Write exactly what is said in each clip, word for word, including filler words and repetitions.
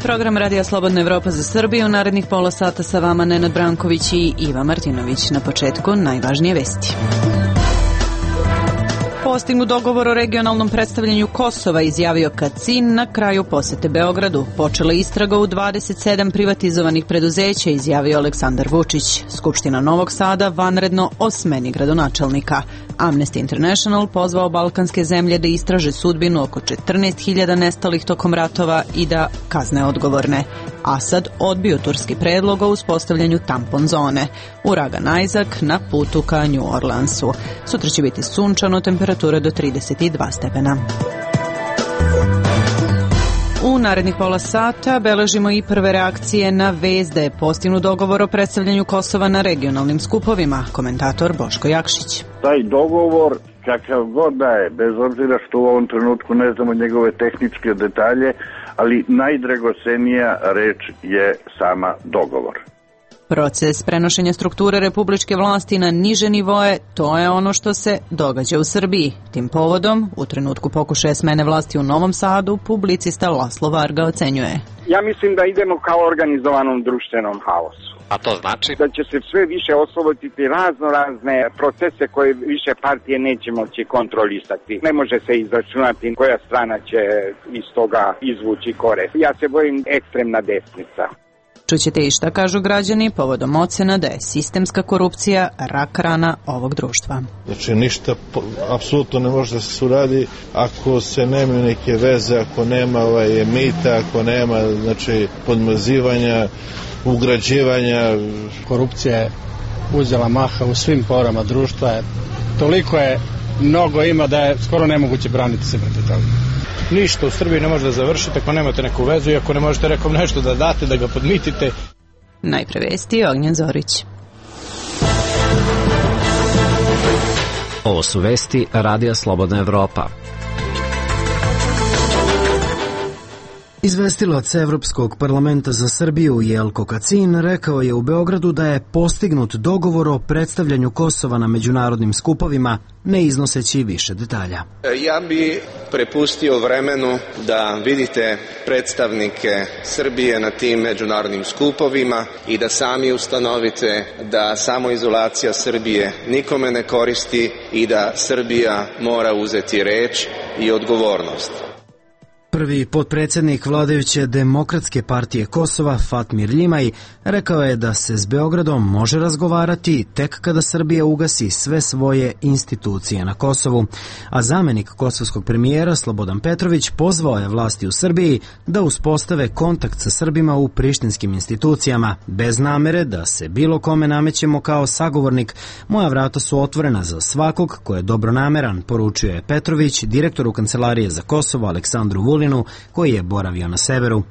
program Radija Slobodna Evropa za Srbiju. U narednih pola sata sa vama Nenad Branković i Iva Martinović. Na početku najvažnije vesti. Postignut dogovor o regionalnom predstavljanju Kosova, izjavio Kacin na kraju posete Beogradu. Počela istraga u dvadeset sedam privatizovanih preduzeća, izjavio Aleksandar Vučić. Skupština Novog Sada vanredno o smeni gradonačelnika. Amnesty International pozvao balkanske zemlje da istraže sudbinu oko četrnaest hiljada nestalih tokom ratova i da kazne odgovorne. Asad odbio turski predlog o uspostavljanju tampon zone. Uragan Isaac na putu ka New Orleansu. Sutra će biti sunčano, temperatura do trideset dva stepena. U narednih pola sata beležimo i prve reakcije na vest da je postignut dogovor o predstavljanju Kosova na regionalnim skupovima. Komentator Boško Jakšić. Taj dogovor, kakav god da je, bez obzira što u ovom trenutku ne znamo njegove tehničke detalje, ali najdragocenija reč je sama dogovor. Proces prenošenja strukture republičke vlasti na niže nivoe, to je ono što se događa u Srbiji. Tim povodom, u trenutku pokušaja smene vlasti u Novom Sadu, publicista Laslo Varga ocenjuje. Ja mislim da idemo kao organizovanom društvenom haosu. A to znači? Da će se sve više osloboditi razno razne procese koje više partije neće moći kontrolisati. Ne može se izračunati koja strana će iz toga izvući korist. Ja se bojim ekstremna desnica. Čućete i šta kažu građani povodom ocena da je sistemska korupcija rak rana ovog društva. Znači ništa apsolutno ne može da se uradi ako se nema neke veze, ako nema ovaj, mita, ako nema znači, podmazivanja, ugrađivanja. Korupcija je uzela maha u svim porama društva. Toliko je, mnogo ima da je skoro nemoguće braniti se protiv toga. Ništa u Srbiji ne može da završite ako nemate neku vezu i ako ne možete nekom nešto da date, da ga podmitite. Najpre vesti Ognjen Zorić. Ovo su vesti Radija Slobodna Evropa. Izvestilac Evropskog parlamenta za Srbiju Jelko Kacin rekao je u Beogradu da je postignut dogovor o predstavljanju Kosova na međunarodnim skupovima, ne iznoseći više detalja. Ja bi prepustio vremenu da vidite predstavnike Srbije na tim međunarodnim skupovima i da sami ustanovite da samoizolacija Srbije nikome ne koristi i da Srbija mora uzeti reč i odgovornost. Prvi potpredsjednik vladajuće Demokratske partije Kosova, Fatmir Ljimaj, rekao je da se s Beogradom može razgovarati tek kada Srbija ugasi sve svoje institucije na Kosovu, a zamenik kosovskog premijera Slobodan Petrović pozvao je vlasti u Srbiji da uspostave kontakt sa Srbima u prištinskim institucijama, bez namere da se bilo kome namećemo kao sagovornik. Moja vrata su otvorena za svakog ko je dobronameran, poručio je Petrović direktoru Kancelarije za Kosovo Aleksandru Vulinu, koji je boravio na severu.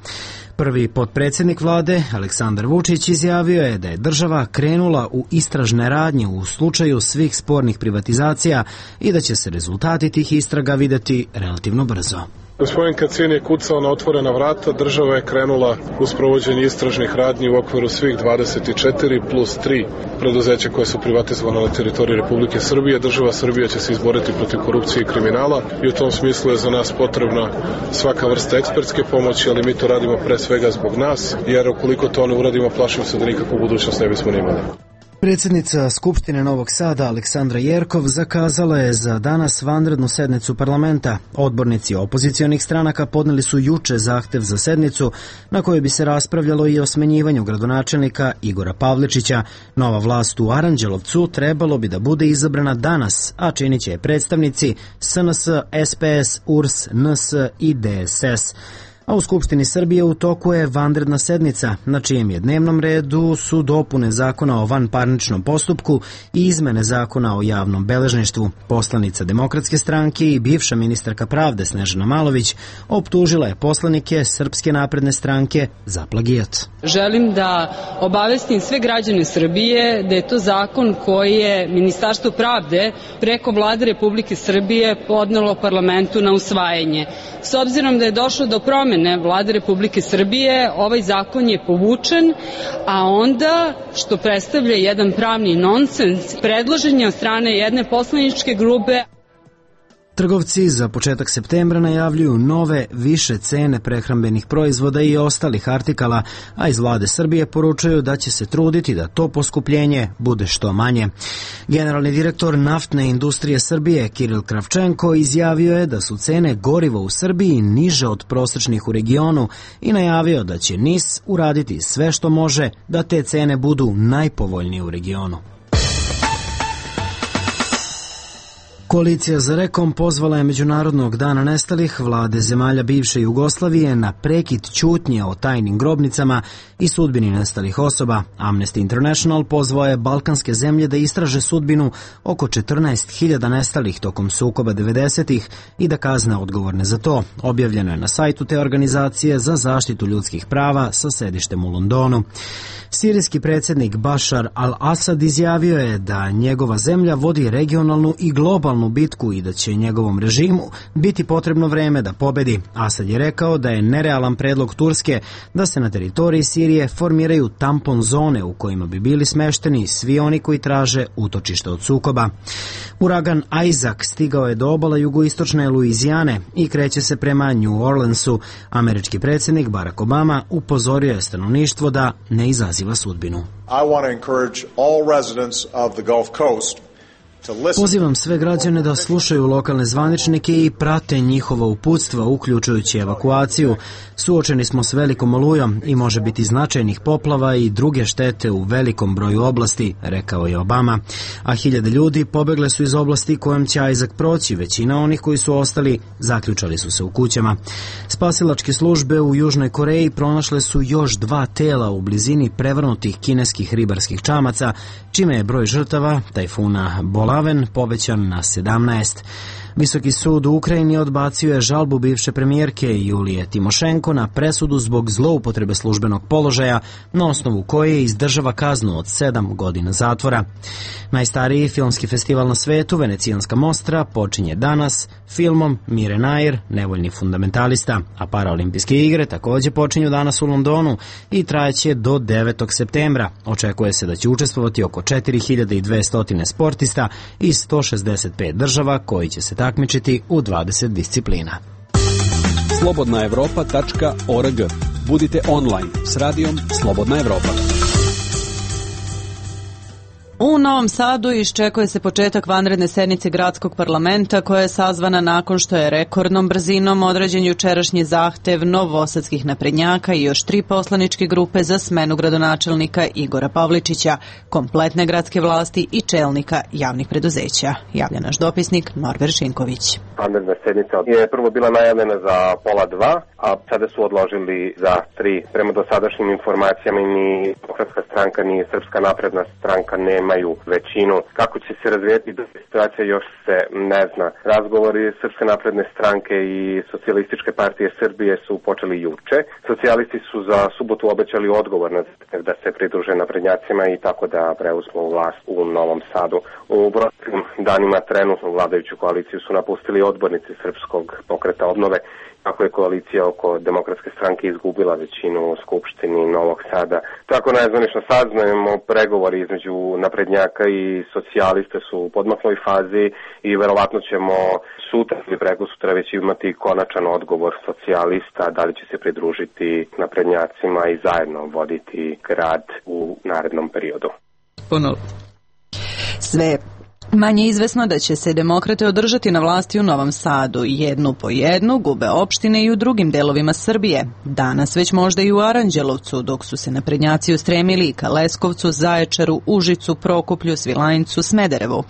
Prvi potpredsjednik vlade, Aleksandar Vučić, izjavio je da je država krenula u istražne radnje u slučaju svih spornih privatizacija i da će se rezultati tih istraga videti relativno brzo. Gospodin Kacin je kucao na otvorena vrata, država je krenula u sprovođenje istražnih radnji u okviru svih dvadeset četiri plus tri preduzeća koje su privatizovane na teritoriji Republike Srbije. Država Srbija će se izboriti protiv korupcije i kriminala i u tom smislu je za nas potrebna svaka vrsta ekspertske pomoći, ali mi to radimo pre svega zbog nas, jer ukoliko to ne uradimo, plašim se da nikakvu budućnost ne bismo imali. Predsjednica Skupštine Novog Sada Aleksandra Jerkov zakazala je za danas vanrednu sednicu parlamenta. Odbornici opozicionih stranaka podneli su juče zahtev za sednicu na kojoj bi se raspravljalo i o smenjivanju gradonačelnika Igora Pavličića. Nova vlast u Aranđelovcu trebalo bi da bude izabrana danas, a činit će je predstavnici S N S, S P S, U R S, N S i D S S. A u Skupštini Srbije u toku je vanredna sednica, na čijem je dnevnom redu su dopune zakona o vanparničnom postupku i izmene zakona o javnom beležništvu. Poslanica Demokratske stranke i bivša ministarka pravde Snežana Malović optužila je poslanike Srpske napredne stranke za plagijat. Želim da obavestim sve građane Srbije da je to zakon koji je Ministarstvo pravde preko Vlade Republike Srbije podnelo parlamentu na usvajanje. S obzirom da je došlo do promjene Vlade Republike Srbije, ovaj zakon je povučen, a onda, što predstavlja jedan pravni nonsens, predložen je od strane jedne poslaničke grupe. Trgovci za početak septembra najavljuju nove, više cene prehrambenih proizvoda i ostalih artikala, a iz vlade Srbije poručuju da će se truditi da to poskupljenje bude što manje. Generalni direktor Naftne industrije Srbije Kiril Kravčenko izjavio je da su cene goriva u Srbiji niže od prosečnih u regionu i najavio da će N I S uraditi sve što može da te cene budu najpovoljnije u regionu. Koalicija za Rekom pozvala je Međunarodnog dana nestalih vlade zemalja bivše Jugoslavije na prekid ćutnje o tajnim grobnicama i sudbini nestalih osoba. Amnesty International pozvao je balkanske zemlje da istraže sudbinu oko četrnaest hiljada nestalih tokom sukoba devedesetih i da kazne odgovorne za to. Objavljeno je na sajtu te organizacije za zaštitu ljudskih prava sa sedištem u Londonu. Sirijski predsjednik Bašar al-Asad izjavio je da njegova zemlja vodi regionalnu i globalnu bitku i da će njegovom režimu biti potrebno vreme da pobedi. Asad je rekao da je nerealan predlog Turske da se na teritoriji Sirije formiraju tampon zone u kojima bi bili smešteni svi oni koji traže utočište od sukoba. Uragan Isaac stigao je do obala jugoistočne Luizijane i kreće se prema New Orleansu. Američki predsjednik Barack Obama upozorio je stanovništvo da ne izaziva sudbinu. I want to encourage all residents of the Gulf Coast. Pozivam sve građane da slušaju lokalne zvaničnike i prate njihova uputstva, uključujući evakuaciju. Suočeni smo s velikom olujom i može biti značajnih poplava i druge štete u velikom broju oblasti, rekao je Obama. A hiljade ljudi pobegle su iz oblasti kojom će Isaac proći. Većina onih koji su ostali zaključali su se u kućama. Spasilačke službe u Južnoj Koreji pronašle su još dva tela u blizini prevrnutih kineskih ribarskih čamaca, čime je broj žrtava tajfuna Bolaven povećan na sedamnaest. Visoki sud u Ukrajini odbacio je žalbu bivše premijerke Julije Timošenko na presudu zbog zloupotrebe službenog položaja, na osnovu koje izdržava kaznu od sedam godina zatvora. Najstariji filmski festival na svetu, Venecijanska mostra, počinje danas filmom Mire Nair, nevoljni fundamentalista, a paraolimpijske igre također počinju danas u Londonu i trajeće do devetog septembra. Očekuje se da će učestvovati oko četiri hiljade dvesta sportista iz sto šezdeset pet država koji će se takmičiti u dvadeset disciplina. slobodna evropa tačka org. Budite online s radijom Slobodna Evropa. U Novom Sadu iščekuje se početak vanredne sednice gradskog parlamenta koja je sazvana nakon što je rekordnom brzinom određen jučerašnji zahtev novosadskih naprednjaka i još tri poslaničke grupe za smenu gradonačelnika Igora Pavličića, kompletne gradske vlasti i čelnika javnih preduzeća. Javlja naš dopisnik Norber Šinković. Vanredna sednica je prvo bila najavljena za pola dva, a sada su odložili za tri. Prema dosadašnjim informacijama ni Demokratska stranka ni Srpska napredna stranka nemaju većinu. Kako će se razvijeti situacija još se ne zna. Razgovori Srpske napredne stranke i Socijalističke partije Srbije su počeli juče. Socijalisti su za subotu obećali odgovor na da se pridruže naprednjacima i tako da preuzmu vlast u Novom Sadu. U proteklim danima trenutno vladajuću koaliciju su napustili odbornici Srpskog pokreta obnove, kako je koalicija oko Demokratske stranke izgubila većinu u Skupštini Novog Sada. Tako najzvanično saznajemo, pregovori između naprednjaka i socijaliste su u podmakloj fazi i verovatno ćemo sutra ili preko sutra već imati konačan odgovor socijalista da li će se pridružiti naprednjacima i zajedno voditi grad u narednom periodu. Puno. Sve manje izvesno da će se demokrate održati na vlasti u Novom Sadu. Jednu po jednu gube opštine i u drugim delovima Srbije. Danas već možda i u Aranđelovcu, dok su se naprednjaci ustremili ka Leskovcu, Zaječaru, Užicu, Prokuplju, Svilajncu, Smederevu.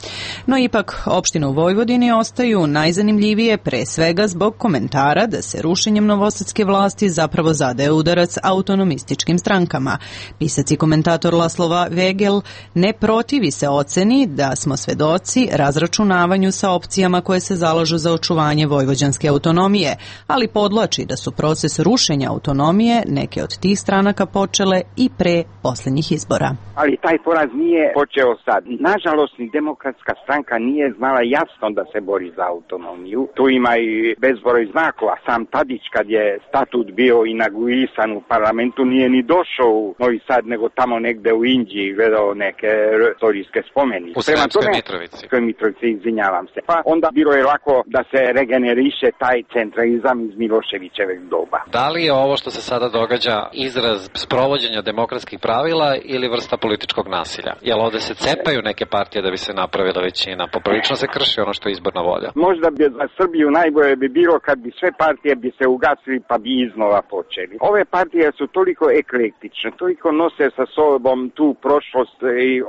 No ipak, opštine u Vojvodini ostaju najzanimljivije pre svega zbog komentara da se rušenjem novosadske vlasti zapravo zadaje udarac autonomističkim strankama. Pisac i komentator Laslova Vegel ne protivi se oceni da smo svedoci razračunavanju sa opcijama koje se zalažu za očuvanje vojvođanske autonomije, ali podlači da su proces rušenja autonomije neke od tih stranaka počele i pre posljednjih izbora. Ali taj poraz nije počeo sad. Nažalost, ni Demokratska stranka nije znala jasno da se bori za autonomiju. Tu ima i bezbroj znakova. Sam Tadić, kad je statut bio inauguisan u parlamentu, nije ni došao u Novi Sad, nego tamo negde u Indiji gledao neke istorijske spomenice. U Sremskoj Mitrovici. Mitrovici. Mitrovici, izvinjavam se. Pa onda bilo je lako da se regeneriše taj centralizam iz Miloševićeveg doba. Da li je ovo što se sada događa izraz sprovođenja demokratskih pravila ili vrsta političkog nasilja? Jel ovde se cepaju neke partije da bi se napravila većina? Poprilično se krši ono što je izborna volja. Možda bi za Srbiju najbolje bi bilo kad bi sve partije bi se ugasili pa bi iznova počeli. Ove partije su toliko eklektične, toliko nose sa sobom tu prošlost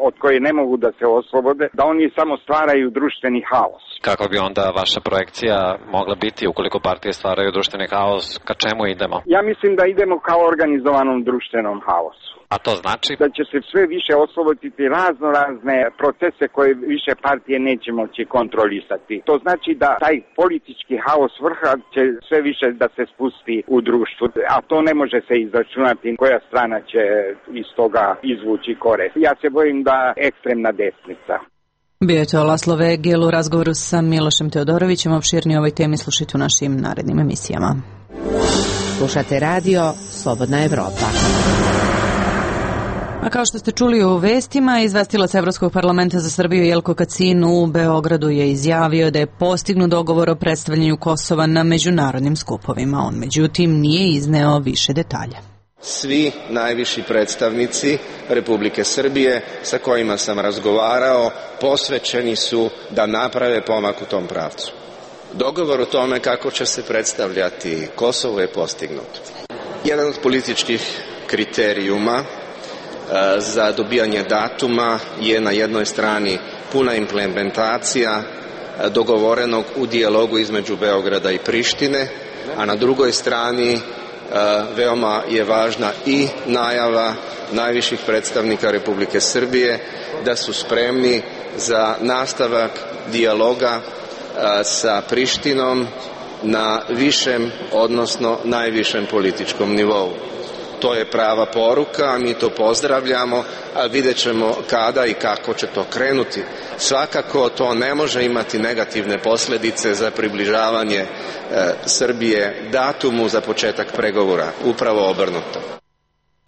od koje ne mogu da se oslobode, da oni samo stvaraju društveni haos. Kako bi onda vaša projekcija mogla biti ukoliko partije stvaraju društveni haos? Ka čemu idemo? Ja mislim da idemo kao organizovanom društvenom haosu. A to znači? Da će se sve više osloboditi razno razne procese koje više partije neće moći kontrolisati. To znači da taj politički haos vrha će sve više da se spusti u društvu, a to ne može se izračunati koja strana će iz toga izvući korist. Ja se bojim da ekstremna desnica. Bio je to Laslo Vegel u razgovoru sa Milošem Teodorovićem. Opširnije o ovoj temi slušajte u našim narednim emisijama. Slušate radio Slobodna Evropa. A kao što ste čuli u vestima, izvestilac Evropskog parlamenta za Srbiju Jelko Kacin u Beogradu je izjavio da je postignut dogovor o predstavljanju Kosova na međunarodnim skupovima. On međutim nije izneo više detalja. Svi najviši predstavnici Republike Srbije sa kojima sam razgovarao posvećeni su da naprave pomak u tom pravcu. Dogovor o tome kako će se predstavljati Kosovo je postignut. Jedan od političkih kriterijuma za dobijanje datuma je na jednoj strani puna implementacija dogovorenog u dijalogu između Beograda i Prištine, a na drugoj strani veoma je važna i najava najviših predstavnika Republike Srbije da su spremni za nastavak dijaloga sa Prištinom na višem, odnosno najvišem političkom nivou. To je prava poruka, mi to pozdravljamo, a vidjet ćemo kada i kako će to krenuti. Svakako to ne može imati negativne posljedice za približavanje e, Srbije datumu za početak pregovora, upravo obrnuto.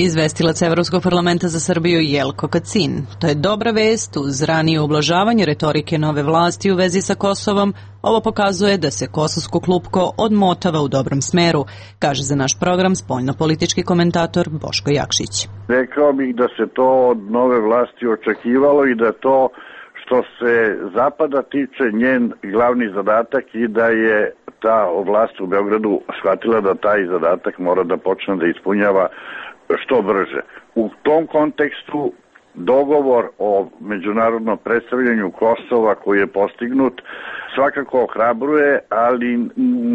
Izvestilac Evropskog parlamenta za Srbiju Jelko Kacin. To je dobra vest uz ranije ublažavanje retorike nove vlasti u vezi sa Kosovom. Ovo pokazuje da se kosovsko klupko odmotava u dobrom smeru, kaže za naš program spoljno-politički komentator Boško Jakšić. Rekao bih da se to od nove vlasti očekivalo i da to što se Zapada tiče njen glavni zadatak i da je ta vlast u Beogradu shvatila da taj zadatak mora da počne da ispunjava što brže. U tom kontekstu dogovor o međunarodnom predstavljanju Kosova koji je postignut svakako ohrabruje, ali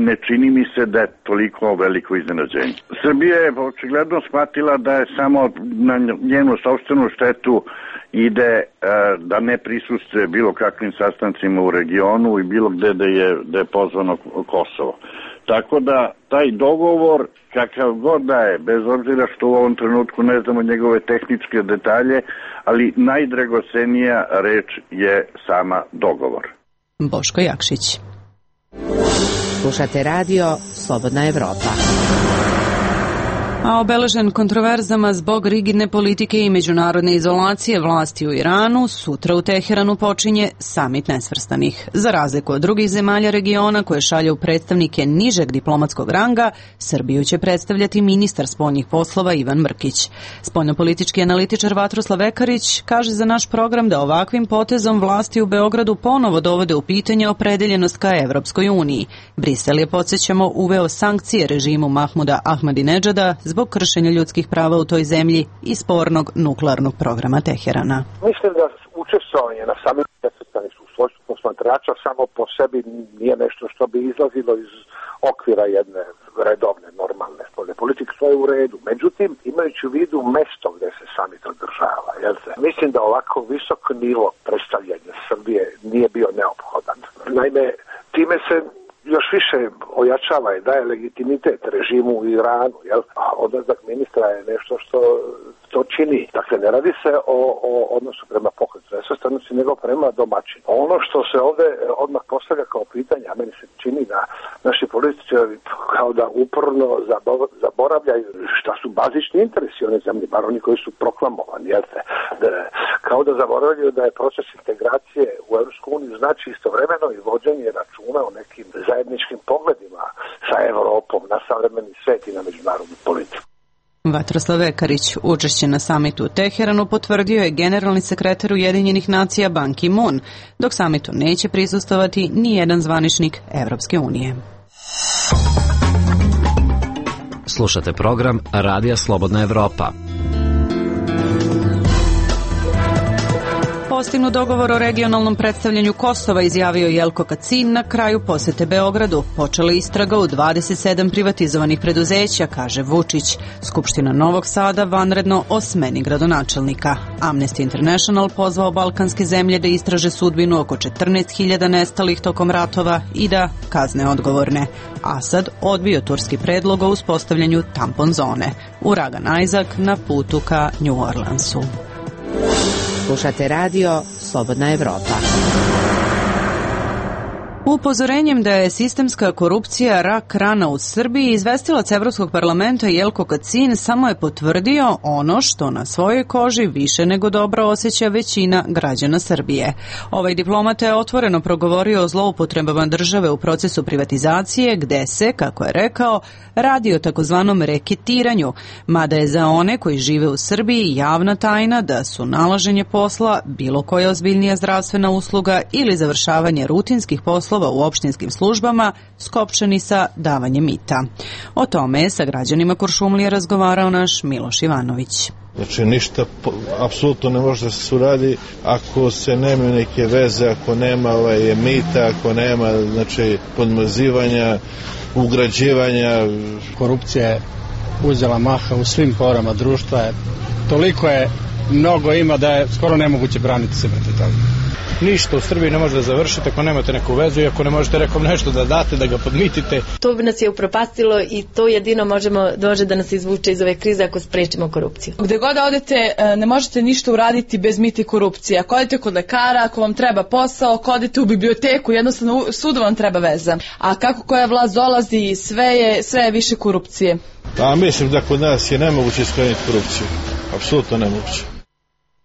ne čini mi se da je toliko veliko iznenađenje. Srbija je očigledno shvatila da je samo na njenu sopstvenu štetu ide e, da ne prisustvuje bilo kakvim sastancima u regionu i bilo gde da je, da je pozvano Kosovo. Tako da taj dogovor, kakav god da je, bez obzira što u ovom trenutku ne znamo njegove tehničke detalje, ali najdragocenija reč je sama dogovor. Boško Jakšić. Slušate radio Slobodna Evropa. A obeležen kontroverzama zbog rigidne politike i međunarodne izolacije vlasti u Iranu, sutra u Teheranu počinje samit nesvrstanih. Za razliku od drugih zemalja regiona koje šalju predstavnike nižeg diplomatskog ranga, Srbiju će predstavljati ministar spoljnih poslova Ivan Mrkić. Spoljnopolitički analitičar Vatroslav Ekarić kaže za naš program da ovakvim potezom vlasti u Beogradu ponovo dovode u pitanje opredeljenost ka Evropskoj uniji. Brisel je, podsjećamo, uveo sankcije režimu Mahmuda Ahmadinedžada zbog kršenja ljudskih prava u toj zemlji i spornog nuklearnog programa Teherana. Mislim da učestvovanje na samitu nesvrstanih u svojstvu posmatrača samo po sebi nije nešto što bi izlazilo iz okvira jedne redovne, normalne spoljne politike, to je u redu. Međutim, imajući u vidu mesto gde se samit održava, jel se? Mislim da ovako visok nivo predstavljanja Srbije nije bio neophodan. Naime, time se još više ojačava i daje legitimitet režimu u Iranu, jel? A odlazak ministra je nešto što to čini. Dakle, ne radi se o, o odnosu prema pokretu nesvrstanosti, nego prema domaćinu. Ono što se ovde odmah postavlja kao pitanje, a meni se čini da naši političari kao da uporno zaboravljaju šta su bazični interesi one zemlje, bar oni koji su proklamovani, jel te? Da, kao da zaboravljaju da je proces integracije u Evropsku uniju znači istovremeno i vođenje računa o nekim zajedničkim pogledima sa Evropom na savremeni svet i na međunarodnu politiku. Vatroslav Ekarić učešće na samitu u Teheranu potvrdio je generalni sekretar Ujedinjenih nacija Ban Ki-moon, dok samitu neće prisustvovati ni jedan zvaničnik Evropske unije. Slušate program Radija Slobodna Evropa. Postignut dogovor o regionalnom predstavljanju Kosova, izjavio Jelko Kacin na kraju posete Beogradu. Počela istraga u dvadeset sedam privatizovanih preduzeća, kaže Vučić. Skupština Novog Sada vanredno o smeni gradonačelnika. Amnesty International pozvao balkanske zemlje da istraže sudbinu oko četrnaest hiljada nestalih tokom ratova i da kazne odgovorne. Asad odbio turski predlog o uspostavljanju tampon zone. Uragan Isaac na putu ka New Orleansu. Slušate radio Slobodna Evropa. Upozorenjem da je sistemska korupcija rak rana u Srbiji, izvestilac Evropskog parlamenta Jelko Kacin samo je potvrdio ono što na svojoj koži više nego dobro osjeća većina građana Srbije. Ovaj diplomata je otvoreno progovorio o zloupotrebama države u procesu privatizacije, gde se, kako je rekao, radi o takozvanom reketiranju, mada je za one koji žive u Srbiji javna tajna da su nalaženje posla, bilo koja ozbiljnija zdravstvena usluga ili završavanje rutinskih poslova u opštinskim službama skopčani sa davanjem mita. O tome je sa građanima Kuršumlije razgovarao naš Miloš Ivanović. Znači ništa apsolutno ne može da se uradi ako se nema neke veze, ako nema ovaj, mita, ako nema znači, podmazivanja, ugrađivanja. Korupcija je uzela maha u svim porama društva. Toliko je, mnogo ima da je skoro nemoguće braniti se protiv toga. Ništa u Srbiji ne može da završite ako nemate neku vezu i ako ne možete nekom nešto da date, da ga podmitite. To bi nas je upropastilo i to jedino možemo dođe da nas izvuče iz ove krize ako sprečimo korupciju. Gde god odete ne možete ništa uraditi bez mita i korupcije. Ako odete kod lekara, ako vam treba posao, ako odete u biblioteku, jednostavno svuda vam treba veza. A kako koja vlast dolazi, sve je, sve je više korupcije. A mislim da kod nas je nemoguće iskreniti korupciju. Apsolutno nemoguće.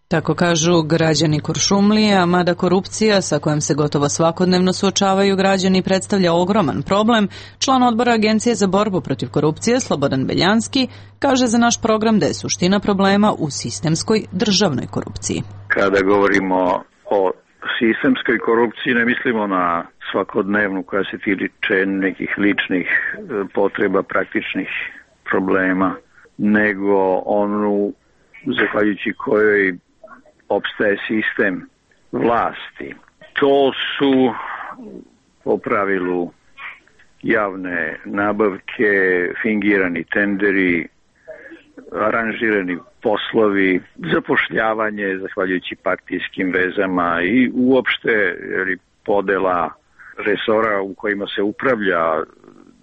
Tako kažu građani Kuršumlije, a mada korupcija sa kojom se gotovo svakodnevno suočavaju građani predstavlja ogroman problem, član odbora Agencije za borbu protiv korupcije Slobodan Beljanski kaže za naš program da je suština problema u sistemskoj državnoj korupciji. Kada govorimo o sistemskoj korupciji ne mislimo na svakodnevnu koja se tiče nekih ličnih potreba, praktičnih problema, nego onu zahvaljujući kojoj opstaje sistem vlasti. To su po pravilu javne nabavke, fingirani tenderi, aranžirani poslovi, zapošljavanje zahvaljujući partijskim vezama i uopšte podela resora u kojima se upravlja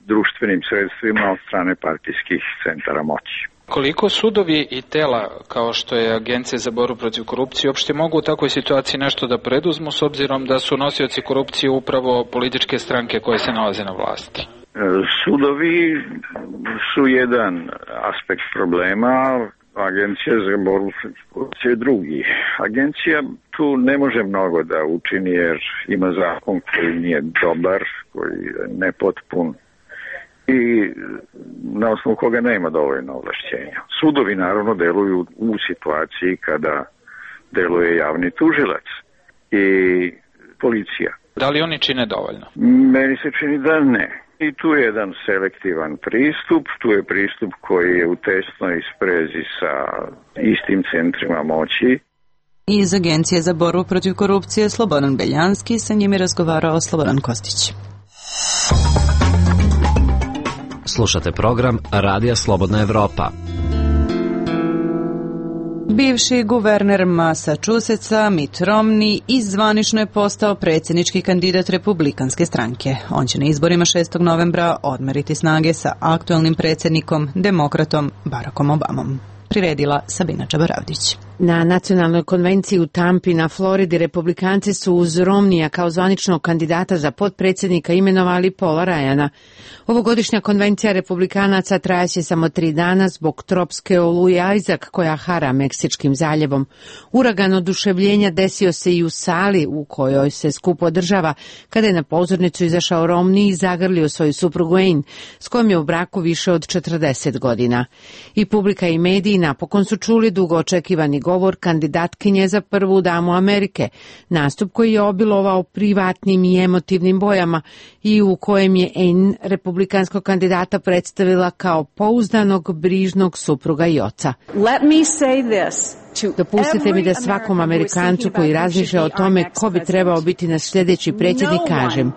društvenim sredstvima od strane partijskih centara moći. Koliko sudovi i tela, kao što je Agencija za borbu protiv korupcije, uopšte mogu u takvoj situaciji nešto da preduzmu s obzirom da su nosioci korupcije upravo političke stranke koje se nalaze na vlasti? Sudovi su jedan aspekt problema, Agencija za borbu protiv korupcije je drugi. Agencija tu ne može mnogo da učini jer ima zakon koji nije dobar, koji je nepotpun i na osnovu koga nema dovoljno ovlašćenja. Sudovi naravno deluju u situaciji kada deluje javni tužilac i policija. Da li oni čine dovoljno? Meni se čini da ne. I tu je jedan selektivan pristup, tu je pristup koji je u tesnoj sprezi sa istim centrima moći. Iz Agencije za borbu protiv korupcije Slobodan Beljanski, sa njim je razgovarao Slobodan Kostić. Slušate program Radija Slobodna Evropa. Bivši guverner Massachusettsa Mitt Romney izzvanično je postao predsjednički kandidat Republikanske stranke. On će na izborima šestog novembra odmeriti snage sa aktuelnim predsjednikom, demokratom Barackom Obamom. Priredila Sabina Čabaravdić. Na nacionalnoj konvenciji u Tampi na Floridi republikanci su uz Romnija kao zvaničnog kandidata za potpredsjednika imenovali Paula Ryana. Ovogodišnja konvencija republikanaca trajaće samo tri dana zbog tropske oluje Isaac koja hara Meksičkim zaljevom. Uragan oduševljenja desio se i u sali u kojoj se skup održava kada je na pozornicu izašao Romney i zagrlio svoju suprugu Anne, s kojom je u braku više od četrdeset godina. I publika i mediji napokon su čuli dugo očekivani govor kandidatkinje za prvu damu Amerike, nastup koji je obilovao privatnim i emotivnim bojama i u kojem je Anne republikanskog kandidata predstavila kao pouzdanog, brižnog supruga i oca. Let me say this. Dopustite mi da svakom Amerikancu koji razmišlja o tome ko bi trebao biti naš sljedeći predsjednik kažem,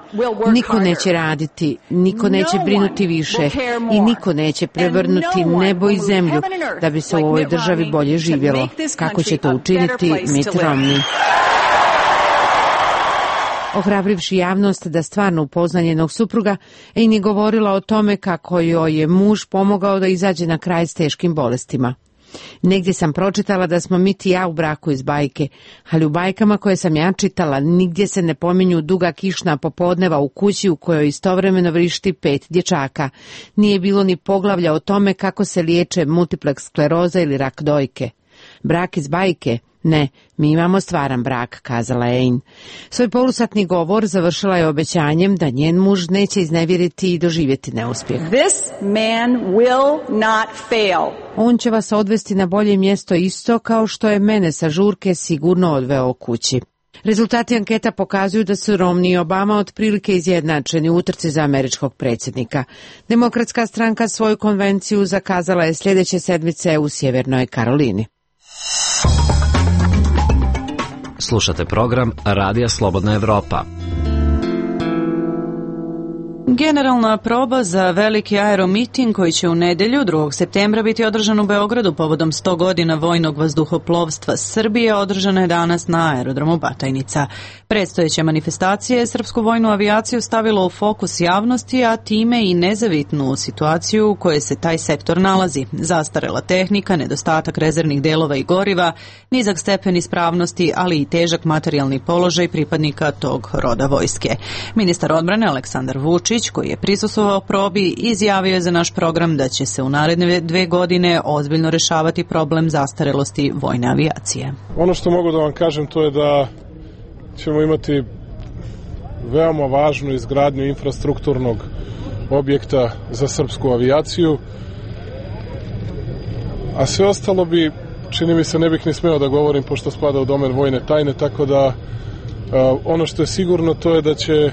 niko neće raditi, niko neće brinuti više i niko neće prevrnuti nebo i zemlju da bi se u ovoj državi bolje živjelo. Kako će to učiniti Mitt Romney? Ohrabrivši javnost da stvarno upozna njenog supruga, Anne je govorila o tome kako joj je muž pomogao da izađe na kraj s teškim bolestima. Negdje sam pročitala da smo Mitt i ja u braku iz bajke, ali u bajkama koje sam ja čitala nigdje se ne pominju duga kišna popodneva u kući u kojoj istovremeno vrišti pet dječaka. Nije bilo ni poglavlja o tome kako se liječe multipleks skleroza ili rak dojke. Brak iz bajke? Ne, mi imamo stvaran brak, kazala Anne. Svoj polusatni govor završila je obećanjem da njen muž neće iznevjeriti i doživjeti neuspjeh. This man will not fail. On će vas odvesti na bolje mjesto isto kao što je mene sa žurke sigurno odveo kući. Rezultati anketa pokazuju da su Romney i Obama otprilike izjednačeni u utrci za američkog predsjednika. Demokratska stranka svoju konvenciju zakazala je sljedeće sedmice u Sjevernoj Karolini. Slušate program Radija Slobodna Evropa. Generalna proba za veliki aeromiting koji će u nedjelju drugog septembra biti održan u Beogradu povodom sto godina vojnog vazduhoplovstva Srbije održana je danas na aerodromu Batajnica. Predstojeće manifestacije srpsku vojnu avijaciju stavilo u fokus javnosti, a time i nezavitnu situaciju u kojoj se taj sektor nalazi. Zastarela tehnika, nedostatak rezervnih delova i goriva, nizak stepen ispravnosti, ali i težak materijalni položaj pripadnika tog roda vojske. Ministar odbrane Aleksandar Vučić, koji je prisustvovao probi, izjavio je za naš program da će se u naredne dve godine ozbiljno rešavati problem zastarelosti vojne avijacije. Ono što mogu da vam kažem to je da ćemo imati veoma važnu izgradnju infrastrukturnog objekta za srpsku avijaciju, a sve ostalo bi, čini mi se, ne bih ni smeo da govorim pošto spada u domen vojne tajne, tako da uh, ono što je sigurno to je da će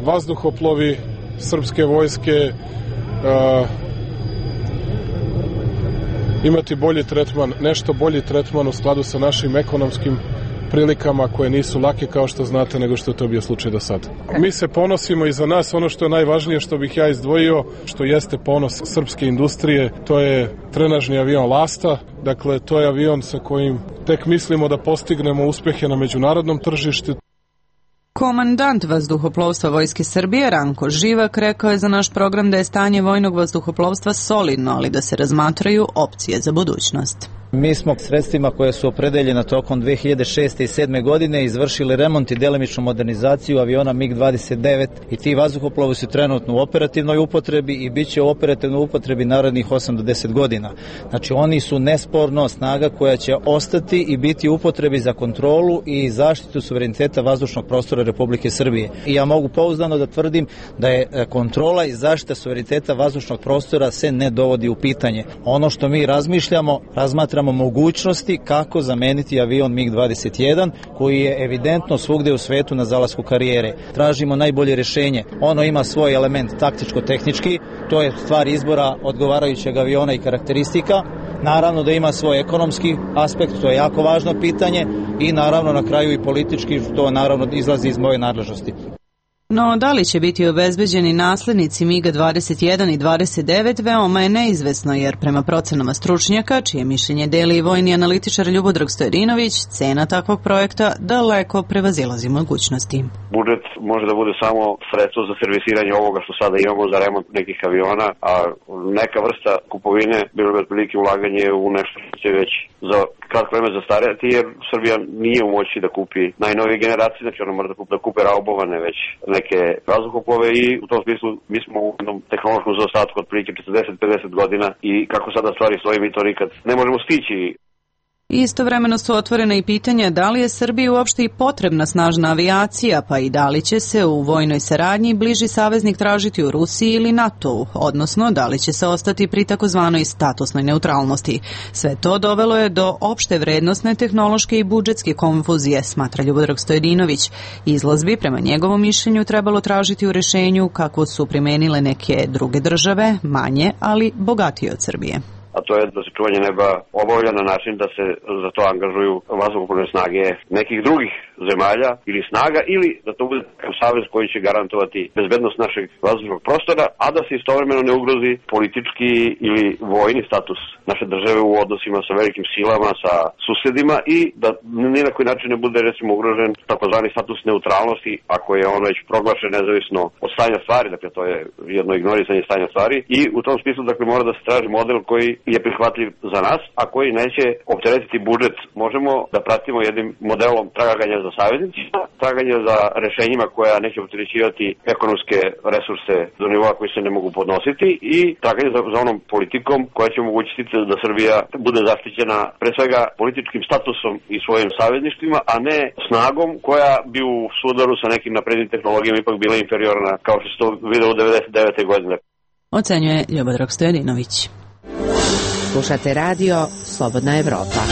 vazduhoplovi srpske vojske uh, imati bolji tretman, nešto bolji tretman u skladu sa našim ekonomskim prilikama koje nisu lake kao što znate nego što je to bio slučaj do sada. Mi se ponosimo i za nas ono što je najvažnije što bih ja izdvojio, što jeste ponos srpske industrije, to je trenažni avion Lasta, dakle to je avion sa kojim tek mislimo da postignemo uspehe na međunarodnom tržištu. Komandant vazduhoplovstva Vojske Srbije Ranko Živak rekao je za naš program da je stanje vojnog vazduhoplovstva solidno, ali da se razmatraju opcije za budućnost. Mi smo sredstvima koje su opredeljena tokom dve hiljade šeste i sedme godine izvršili remont i delimičnu modernizaciju aviona mig dvadeset devet i ti vazduhoplovi su trenutno u operativnoj upotrebi i bit će u operativnoj upotrebi narednih osam do deset godina. Znači oni su nesporno snaga koja će ostati i biti u upotrebi za kontrolu i zaštitu suvereniteta vazdušnog prostora Republike Srbije. I ja mogu pouzdano da tvrdim da je kontrola i zaštita suvereniteta vazdušnog prostora se ne dovodi u pitanje. Ono što mi razmišljamo, razmatramo mogućnosti kako zameniti avion mig dvadeset jedan koji je evidentno svugde u svetu na zalasku karijere. Tražimo najbolje rješenje. Ono ima svoj element taktičko-tehnički, to je stvar izbora odgovarajućeg aviona i karakteristika. Naravno da ima svoj ekonomski aspekt, to je jako važno pitanje i naravno na kraju i politički, to naravno izlazi iz moje nadležnosti. No, da li će biti obezbeđeni naslednici MiG dvadeset jedan i dvadeset devet veoma je neizvesno, jer prema procenama stručnjaka, čije mišljenje deli i vojni analitičar Ljubodrag Stojadinović, cena takvog projekta daleko prevazilazi mogućnosti. Budžet može da bude samo sredstvo za servisiranje ovoga što sada imamo za remont nekih aviona, a neka vrsta kupovine bilo bi otprilike ulaganje u nešto što će već za kratko vreme zastarjati, jer Srbija nije u moći da kupi najnovije generacije, znači ona mora da kupe, da kupe raubovane već neke vazduhoplove i u tom smislu mi smo u jednom tehnološkom zaostatku od prilike četrdeset do pedeset godina i kako sada stvari stoji mi to nikad ne možemo stići. Istovremeno su otvorena i pitanja da li je Srbiji uopšte i potrebna snažna avijacija, pa i da li će se u vojnoj saradnji bliži saveznik tražiti u Rusiji ili NATO-u, odnosno da li će se ostati pri takozvanoj statusnoj neutralnosti. Sve to dovelo je do opšte vrednostne, tehnološke i budžetske konfuzije, smatra Ljubodrag Stojadinović. Izlaz bi, prema njegovom mišljenju, trebalo tražiti u rešenju kako su primenile neke druge države, manje, ali bogatije od Srbije. A to je da se čuvanje neba obavlja na način da se za to angažuju vazduhoplovne snage nekih drugih zemalja ili snaga, ili da to bude savez koji će garantovati bezbednost našeg vazdušnog prostora, a da se istovremeno ne ugrozi politički ili vojni status naše države u odnosima sa velikim silama, sa susedima i da ni na koji način ne bude recimo ugrožen takozvani status neutralnosti ako je on već proglašen nezavisno od stanja stvari, dakle to je jedno ignorisanje stanja stvari i u tom smislu dakle mora da se traži model koji je prihvatljiv za nas, a koji neće opteretiti budžet. Možemo da pratimo jednim modelom traganja za saveznicima, traganja za rešenjima koja neće opterećivati ekonomske resurse do nivoa koji se ne mogu podnositi i traganje za, za onom politikom koja će omogućiti da Srbija bude zaštićena pre svega političkim statusom i svojim savezništvima, a ne snagom koja bi u sudaru sa nekim naprednim tehnologijama ipak bila inferiorna, kao što se to video u devedeset devete godine. Ocenjuje Ljubodrag Stojadinović. Slušate radio Slobodna Evropa.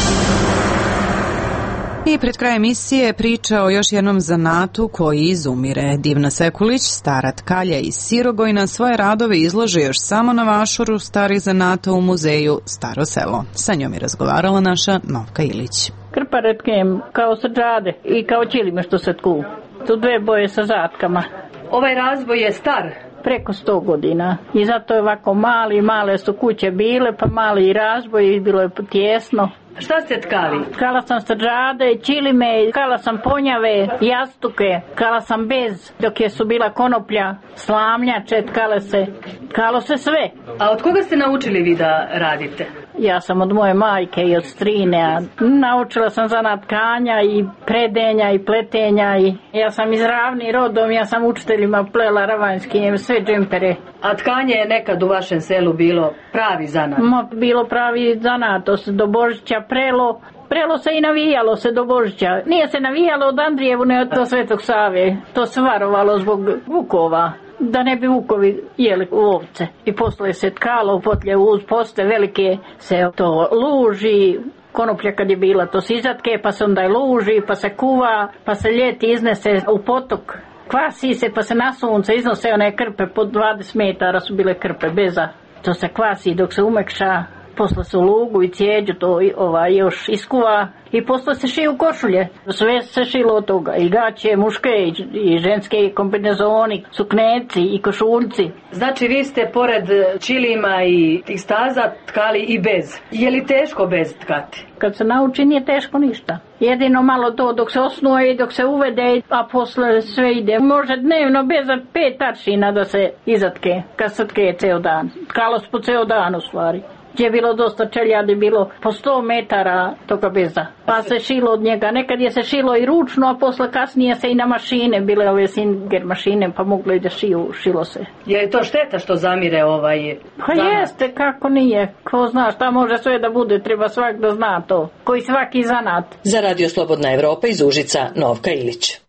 I pred kraj emisije priča o još jednom zanatu koji izumire. Divna Sekulić, stara tkalja iz Sirogojna, svoje radove izlože još samo na vašuru starih zanata u muzeju Staro selo. Sa njom je razgovarala naša Novka Ilić. Krparetkem kao sađade i kao ćilime što se tku. Tu dve boje sa zatkama. Ovaj razvoj je star? Preko sto godina. I zato je ovako mali, male su kuće bile, pa mali i razboj i bilo je tjesno. Šta ste tkali? Tkala sam sađade, ćilime, tkala sam ponjave, jastuke, tkala sam bez, dok je su bila konoplja, slamljače, tkale se, tkalo se sve. A od koga ste naučili vi da radite? Ja sam od moje majke i od strine, a naučila sam zanat tkanja i predenja i pletenja i ja sam iz Ravni rodom, ja sam učiteljima plela ravanjski, sve džempere. A tkanje je nekad u vašem selu bilo pravi zanat? Ma, bilo pravi zanat, to se do Božića prelo, prelo se i navijalo se do Božića. Nije se navijalo od Andrijevu, ne od Svetog Save, to se varovalo zbog vukova. Da ne bi vukovi jeli ovce. I posle se tkalo, potlje uz poste velike se to luži, konoplja kad je bila to se izatke, pa se onda luži, pa se kuva, pa se ljeti iznese u potok. Kvasi se, pa se na sunce iznose one krpe, po dvadeset metara su bile krpe beza. To se kvasi dok se umekša, posle se u lugu i cijeđu to ova, još iskuva i posle se šiju košulje. Sve se šilo od toga, i gaće, muške i, i ženske kombinezoni, sukneci i košuljci. Znači vi ste pored ćilima i tih staza tkali i bez. Je li teško bez tkati? Kad se nauči nije teško ništa. Jedino malo to dok se osnuje i dok se uvede, a posle sve ide. Može dnevno bez pet aršina da se izatke, kad se tke ceo dan. Tkalo se po ceo dan u stvari. Gdje je bilo dosta čeljadi, bilo po sto metara toga beza. Pa se šilo od njega. Nekad je se šilo i ručno, a posle kasnije se i na mašine, bile ove Singer mašine, pa moglo i da šiju, šilo se. Je li to šteta što zamire ovaj Pa zanat? Jeste, kako nije. Ko zna šta može sve da bude, treba svak da zna to. Koji svaki zanat. Za Radio Slobodna Evropa iz Užica, Novka Ilić.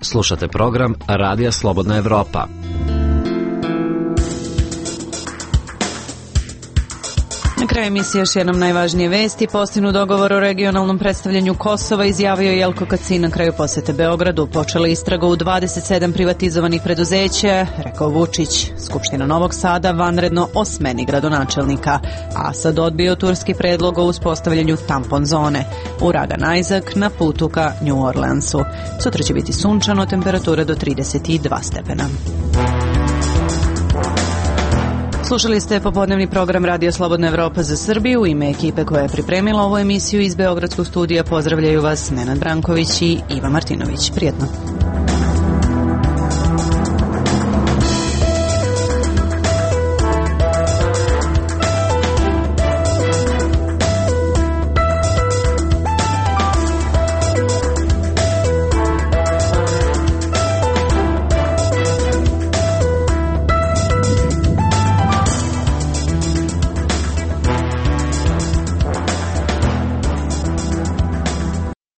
Slušate program Radija Slobodna Evropa. Na kraju emisije još jednom najvažnije vesti. Postignu dogovor o regionalnom predstavljanju Kosova izjavio Jelko Kacin na kraju posete Beogradu. Počela istraga u dvadeset sedam privatizovanih preduzeća, rekao Vučić. Skupština Novog Sada vanredno o smeni gradonačelnika. Asad odbio turski predlog o uspostavljanju tampon zone. Uragan Isaac na putu ka New Orleansu. Sutra će biti sunčano, temperatura do trideset dva stepena. Slušali ste popodnevni program Radio Slobodna Evropa za Srbiju. U ime ekipe koja je pripremila ovu emisiju iz Beogradskog studija pozdravljaju vas Nenad Branković i Iva Martinović. Prijetno.